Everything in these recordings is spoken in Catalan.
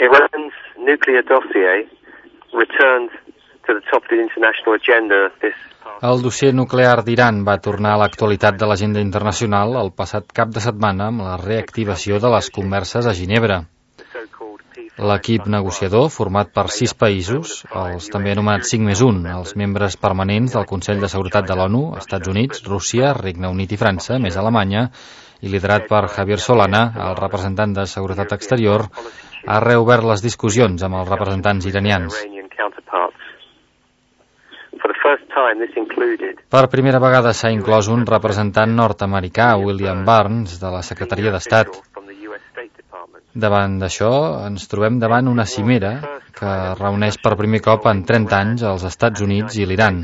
Iran's nuclear dossier returned to the top of the international agenda this past... El dossier nuclear d'Iran va tornar a l'actualitat de l'agenda internacional el passat cap de setmana amb la reactivació de les converses a Ginebra. L'equip negociador, format per 6 països, els també anomenats 5+1, els membres permanents del Consell de Seguretat de l'ONU, Estats Units, Rússia, Regne Unit i França, més Alemanya, i liderat per Javier Solana, el representant de Seguretat Exterior, ha reobert les discussions amb els representants iranians. Per primera vegada s'ha inclòs un representant nord-americà, William Burns, de la Secretaria d'Estat. Davant d'això, ens trobem davant una cimera que reuneix per primer cop en 30 anys els Estats Units i l'Iran.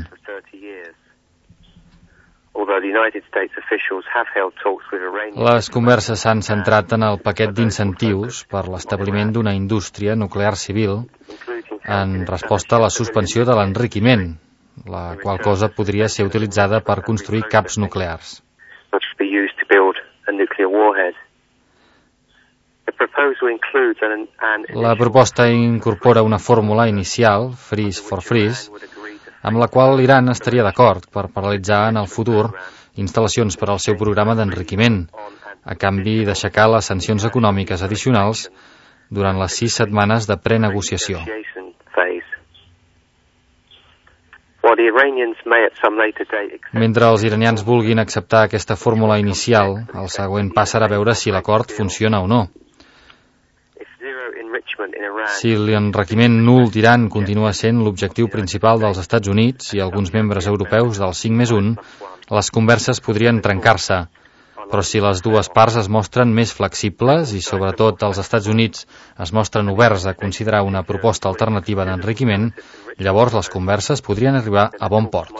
Les converses s'han centrat en el paquet d'incentius per l'establiment d'una indústria nuclear civil en resposta a la suspensió de l'enriquiment, la qual cosa podria ser utilitzada per construir caps nuclears. La proposta incorpora una fórmula inicial, freeze for freeze, amb la qual l'Iran estaria d'acord per paralitzar en el futur instal·lacions per al seu programa d'enriquiment, a canvi d'aixecar les sancions econòmiques addicionals durant les 6 setmanes de prenegociació. Mentre els iranians vulguin acceptar aquesta fórmula inicial, el següent pas serà veure si l'acord funciona o no. Si l'enriquiment nul d'Iran continua sent l'objectiu principal dels Estats Units i alguns membres europeus del 5+1, les converses podrien trencar-se. Però si les dues parts es mostren més flexibles i sobretot els Estats Units es mostren oberts a considerar una proposta alternativa d'enriquiment, llavors les converses podrien arribar a bon port.